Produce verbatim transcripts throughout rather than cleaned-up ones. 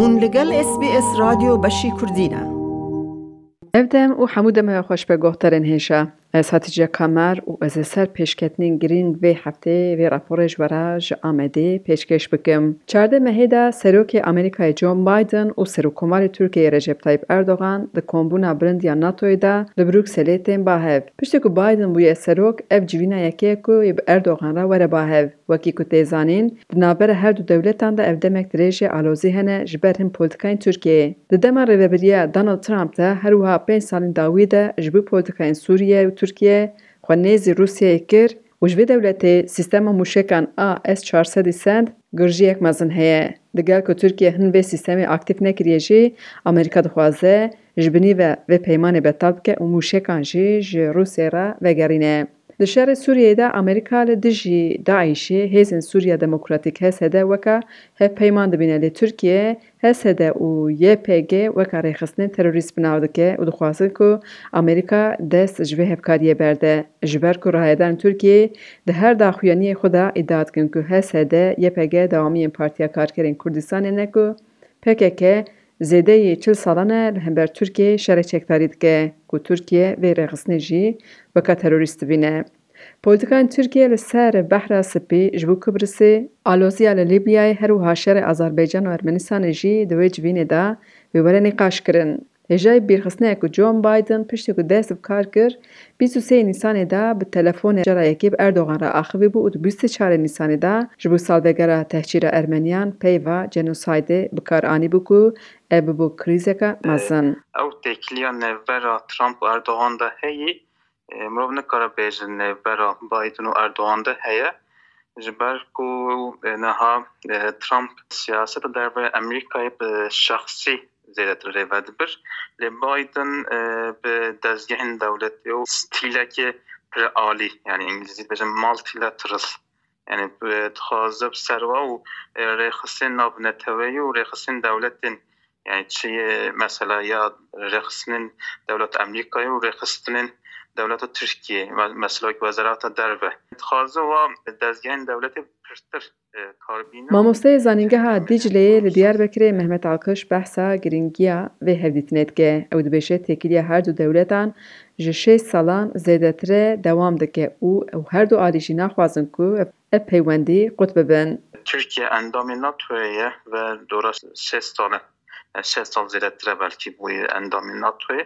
Hûn li gel S B S Radyo Beşî Kurdî ne. Ev dem û hemû demê xweş be guhdarên hêja. Ez Hatice Kamer û ez ê ser pêşketinên girîng vê heftê vê raporê ji we re ji Amedê pêşkêş bikim. Çardeh mehê de Serokê Amerîkayê Joe Biden û Serokkomarê Tirkiyeyê Recep Tayyip Erdogan di kombûna bilind ya NATOyê de li Brukselê tên ba hev. Piştî ku Biden bûye serok, ev civîna yekê ye ku yê bi Erdogan re were ba hev. Wekî ku tê zanîn, di navbera her du dewletan de ev demek dirêj e alozî hene ji ber hin polîtikayên Tirkiyeyê. Di dema rêvebiriya Donald Trump de her wiha pênc salên dawî de ji bo polîtikayên Sûriye û Tirkiye xwe nêzî Rûsyayê kir û ji vê dewletê sîstema mûşekan A S çar sed send girjiyek mezin heye. Digel ku Tirkiye hin vê sîstemê aktîf nekiriye jî, Amerîka dixwaze ji binî ve vê peymanê betal bike û mûşekan jî ji Rûsyayê re vegerîne. Di şerê Sûriyeyê de Amerîka li dijî DAIŞê hêzên Sûriya Demokratîk H S D weka hevpeyman dibîne, lê Tirkiye H S D û Y P G weka rêxistinên terorîst bi nav dike û dixwazin ku Amerîka dest ji vê hevkariyê berde. Ji ber ku rayedarên Tirkiyeyê di her daxuyaniyê xwe de îdia dikin ku H S D Y P G dewamiyên Partiya Karkerên Kurdistanê ne ku P K K zêdeyî çil salan e li hember Tirkiyeyê şerê çekdarî dike, ku Tirkiye vê rêxistinê jî weka terorîst dibîne. Polîtikayên Tirkiye li ser Behra Spî ji bo Kibrisê, aloziya li Lîbyayê, her wiha şerê Azerbaycan û Ermenistanê jî di wê civînê de wê were nîqaşkirin. Hêjayî bîrxistinê ye ku Joe Biden piştî ku dest bi kar kir, bîst û sê Nîsanê de bi telefonê cara yekê bi Erdogan re axivî bû û di bîst û çar Nîsanê de ji bo salvegera tehcîra Ermeniyan peyva genosaydê bi kar anîbû ku ev bibû krîzeke mezin. Ew têkiliya navbera Trump û Erdogan de heye, e, mirov nikare bêje navbera Biden û Erdogan de heye. Ji ber ku, e, niha, e, Trump siyaseta derve Amerîkayê bi şexsî zêdetir rêve dibir. Lê Biden, e, bi dezgehên dewletê û stîlekê pir alî, yani îngilîzî dibêjin multilateral, yani bi, dixwaze bi serwa û, e, rêxistinên navneteweyî û rêxistinên dewletên, yani çi ye mesela ya rêxistinên dewlet Amerîkayê û rêxistinên dewleta Tirkiyê, me-, mesela wek Wezareta Derve. Dixwaze wa dezgehên dewletê pirtir, e, karbîne. Mamosteyê Zanîngeha Dîcleyê li Diyarbekirê Mehmet Alkış behsa girîngiya vê hevdîtinê dike. Ew dibêje têkiliya her du dewletan ji şêst salan zêdetir e dewam dike û ew her du alî jî naxwazin ku ev peywendî qut bibin. Tirkiye endamê NATOyê ye ve dora şêst sal e. Yani şêst sal zêdetir e belkî bûye endamê NATOyê.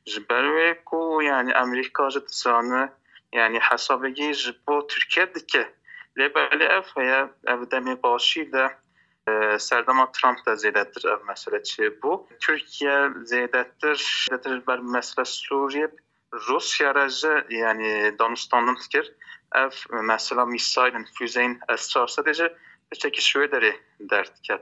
Ji ber wê ku yani Amerîka jî dizane, yani hesabekî ji bo Tirkiye dike. Lê belê ev heye, ev demê başî de, e, serdema Trump de zêdetir ev mesele çêbû. Tirkiye zêdetir, zêdetir ber mesele Sûriye Rûsya re jî, yani, danûstandin dikir. Ev mesela mîsaylên, füzeyên S çar sed jî tiştekî ji wê derê derdiket.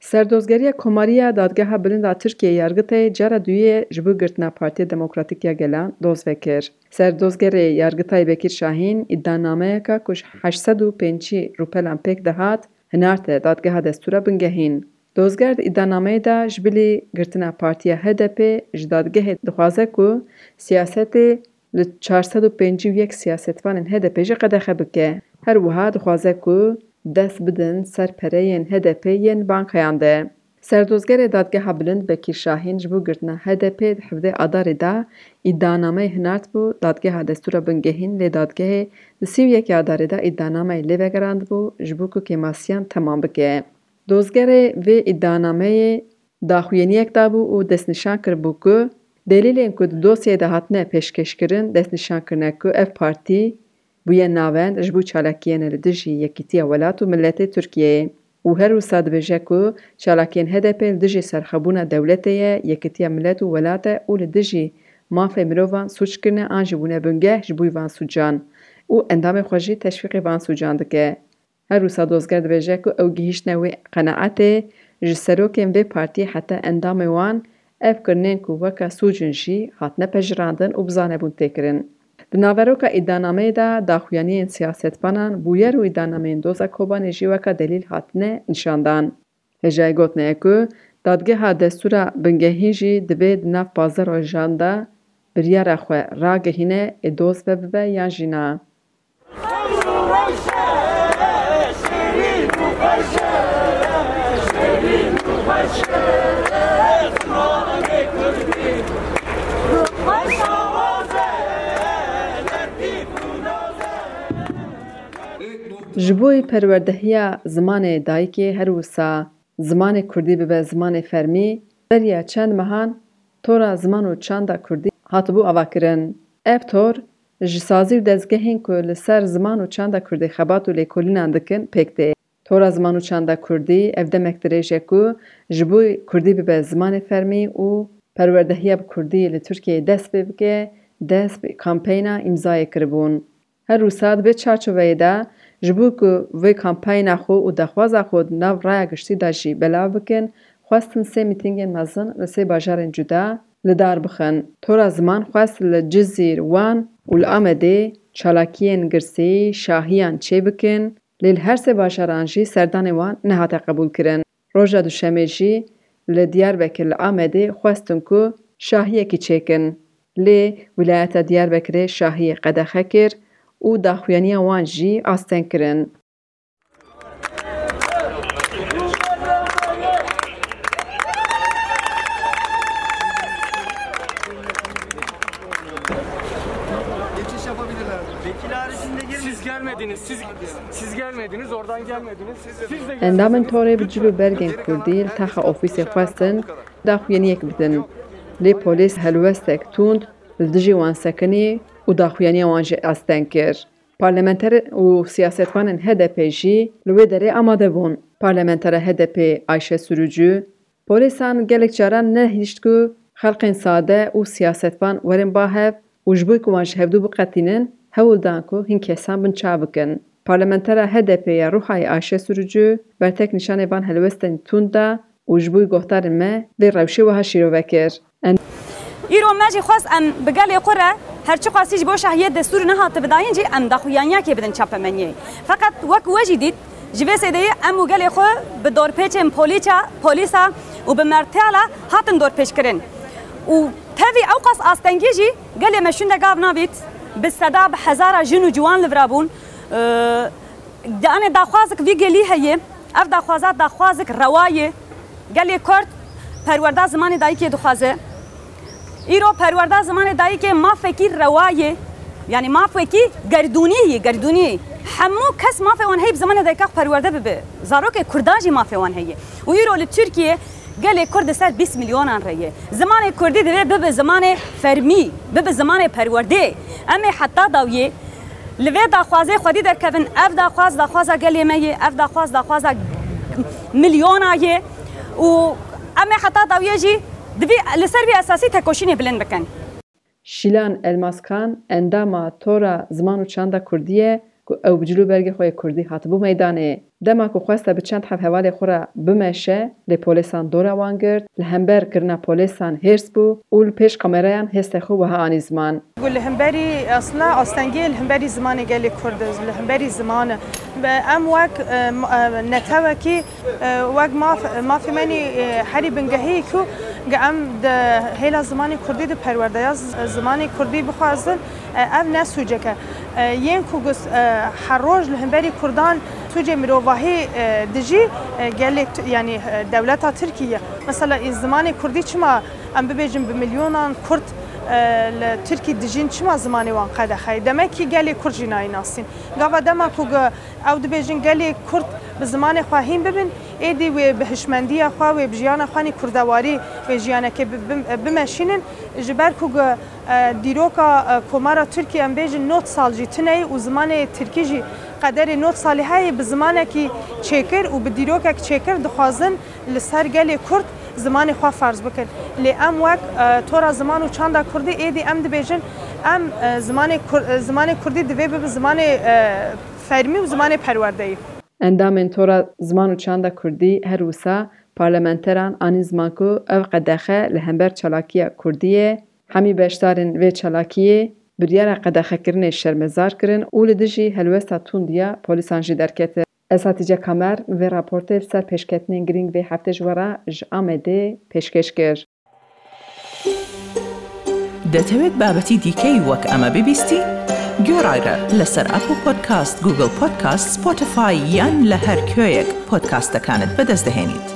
Serdozgeriya Komariya Dadgeha Bilind a Tirkiyeyê, Yargıtayê, cara duyê ji bo girtina Partiya Demokratîk ya Gelan doz vekir. Serdozgerê Yargıtayê Bekir Şahin îdianameyeke ku ji heşt sed û pêncî rûpelan pêk dihat, hinarte Dadgeha Destûra Bingehîn. Dozger di îdianameyê de ji bilî girtina partiya H D P ji dadgehê dixwaze ku siyasetê li çar sed û pêncî û yek siyasetvanên H D P jî qedexe bike. Her wiha dixwaze ku dest bidin ser pereyên H D P yên bankayan de. Serdozgerê Dadgeha Bilind Bekîr Şahîn ji bo girtina H D P di hevdeh Adarê de îdianameyê hinartbû Dadgeha Destûra Bingehîn, lê dadgehê di sî û yekê Adarê de îdianameyê lê vegerandibû ji bo ku kêmasiyan temam bike. Dozgerê vê îdianameyê daxuyaniyek dabû û destnîşan kiribû ku delîlên ku di dosyayê de hatine pêşkêşkirin destnîşan kirine ku ev partî bûye navend ji bo çalakiyên li dijî yekîtiya welat û miletê Tirkiyeyê û her wisa dibêje ku çalakiyên H D P li dijî serxwebûna dewletê ye, yekîtiya milet û welat e û li dijî mafê mirovan sûc kirine an jî bûne bingeh ji bo van sûcan û endamê xwe jî teşwîqê van sûcan dike. Her wisa dozger dibêje ku ew gihîştine wê qenaetê ji serokên vê partiyê heta endamê wan ev kirinên ku weke sûc in jî hatine pejirandin û bi zanebûn tê kirin. Di naveroka îdianameyê de daxuyaniyên siyasetvanan, bûyer û îdianameyên doza Kobanê jî weke delîl hatine nîşandan. Hêjayî gotinê ye ku dadgeha destûra bingehîn jî divê di nav pazdeh rojan de biryara xwe ragihîne, ê doz vebibe yan jî na. Ji bo perwerdehiya zimanê dayikê her wisa zimanê kurdî bibe zimanê fermî, beriya çend mehan Tora Ziman û Çanda Kurdî hatibû avakirin. Ev tor ji sazî û dezgehên ku li ser ziman û çanda kurdî xebat û lêkolînan dikin pêk tê. Tora Ziman û Çanda Kurdî ev demek dirêj e ku ji bo kurdî bibe zimanê fermî û perwerdehiya bi kurdî li Tirkiyeyê dest pê bike, dest bi kampeyna îmzayê kiribûn. Her wisa di vê çarçoveyê de ji bo ku vê kampeyna xwe û daxwaza xwe di nav raya giştî de jî belav bikin, xwestin sê mîtîngên mezin li sê bajarên cuda li dar bixin. Tora Ziman xwest li Cizîr, Wan û li Amedê çalakiyên girsî, şahiyan çêbikin, lê li her sê bajaran jî serdanê wan nehate qebûlkirin. Roja duşemê jî li Diyarbekir li Amedê xwestin ku şahiyekî çêkin. Lê Wîlayeta Diyarbekirê şahiyê qedexe kir û daxuyaniya wan jî asteng kirin. Geçiş yapabilirler. Vekil haricinde girmeyin. Siz gelmediniz, siz, siz gelmediniz, oradan gelmediniz. Siz de Endamên Torê bi cil û bergên kurdî li taxa ofîsê xwestin daxuyaniyek bidin. Lê polîs helwestek tund li dijî wan sekinî û daxuyaniya wan jî asteng kir. Parlamenter û siyasetvanên H D P jî li wê derê amade bûn. Parlamentera H D P Ayşe Sürücü, Polîsan gelek caran nehişt ku xelkên sade û siyasetvan werin ba hev û ji bo ku wan ji hevdû biqetînin, hewl dan ku hin kesan binçav bikin. Parlamentera H D P ya Ruhayê Ayşe Sürücü bertek nîşanê van helwestên tund da û ji bo guhdarên me vê rewşê wiha şîrove kir. Îro me jî xwest em bi gelê xwe re her çiqasî ji bo şahiyê destûr nehatibidayîn jî em daxuyaniyekê bidin çapemeniyê. Feqet wek we jî dît, ji vê sêdeyê em û gelê xwe bi dorpêçên polîça, polîsa û bi mertiyala hatin dorpêçkirin. Û tevî ewqas astengî jî gelê me şûnde gav navît, bi seda, bi hezara jin û ciwan li vira bûn. Ee, Danê daxwazek vî gelî heye. Ev daxwaza daxwazek rewa ye. Gelê Kurd perwerda zimanê dayikê dixwaze. Îro perwerda zimanê dayikê mafekî rewa ye. Yanî mafekî gerdûnî ye, gerdûnî. Hemû kes mafê wan heye bi zimanê dayika xwe perwerde bibe. Zarokê Kurdan jî mafê wan heye. Û îro li Tirkiye gelê Kurd li ser bîst milyonan re ye. Zimanê Kurdî divê bibe zimanê fermî, bibe zimanê perwerdê. Em ê heta dawiyê li vê daxwazê xwedî derkevin. Ev daxwaz, daxwaza gelê me ye. Ev daxwaz, daxwaza milyona ye. Û em ê heta dawiyê jî divê li ser vî esasî tekoşînê bilind bikin. Şîlan Elmaskan endama Tora Ziman û Çanda Kurdî ye ku ew bi cil û bergê xwe yê kurdî hatibû meydanê. Dema ku xweste bi çend heb hevalê xwe re bimeşe, lê polêsan dora wan girt, li hember kirina polêsan hêrs bû û li pêş kamerayan hêstê xwe wiha anî ziman. Ku li hemberî, aslında astengiyê li hemberî zimanê gelê Kurd e, li hemberî ziman e. Em wek, e, m-, e, netewekî, e, wek maf-, mafê me nî, e, herî bingehî ku em di hêla zimanê Kurdî di perwerdeya z-, zimanê Kurdî bixwazin, e, ev ne sûcek e. E, yên ku gus-, e, her roj li hemberî Kurdan sûcê mirovahî, e, dijî, e, gelê t-, yanî, e, dewleta Tirkî ye. Mesela, e, zimanê Kurdî çima em bibêjin bi milyonan Kurd, e, li Tirkî dijîn, çima zimanê wan qedexe ye? Demek ki gelê Kurd jî nayê nasîn. Gava dema ku ge-, ew dibêjin gelê Kurd bi zimanê xwe hîn bibin, êdî wê bi hişmendiya xwe, wê bi jiyana xwe nî kurdewarî, wê jiyanekê bi-, bi-, bimeşînin. Ji ber ku ge-, e, dîroka, e, Komara Tirkî, em bêjin, nod sal jî tune ye û zimanê tirkî jî qederê nod salî heye, bi zimanekî çêkir û bi dîrokek çêkir dixwazin li ser gelê Kurd zimanê xwe ferz bikin. Lê em wek, e, Tora Ziman û Çanda Kurdî êdî em dibêjin, em, e, zimanê Kur-, e, zimanê Kurdî divê bibe zimanê, e, fermî û zimanê perwerdeyî. Endamên Tora Ziman û Çanda Kurdî her wisa parlamenteran anî ziman ku ev qedexe li hember çalakiya Kurdî ye. Hemî beşdarên vê çalakiyê biryara qedexekirinê şermezar kirin û li dijî helwesta tund ya polîsan jî derketin. Ez Hatice Kamer vê raportê li ser pêşketinên girîng vê heftê ji we re ji Amedê pêşkêş kir. دەتەوێت بابەتی دیکەی وەک ئەمە ببیستی؟ گوێڕایرە لەسەر ئەپڵ پۆدکاست، گوگڵ پۆدکاست، سپۆتیفای یان لە هەر کوێیەک پۆدکاستەکانت بەدەست دەهێنیت.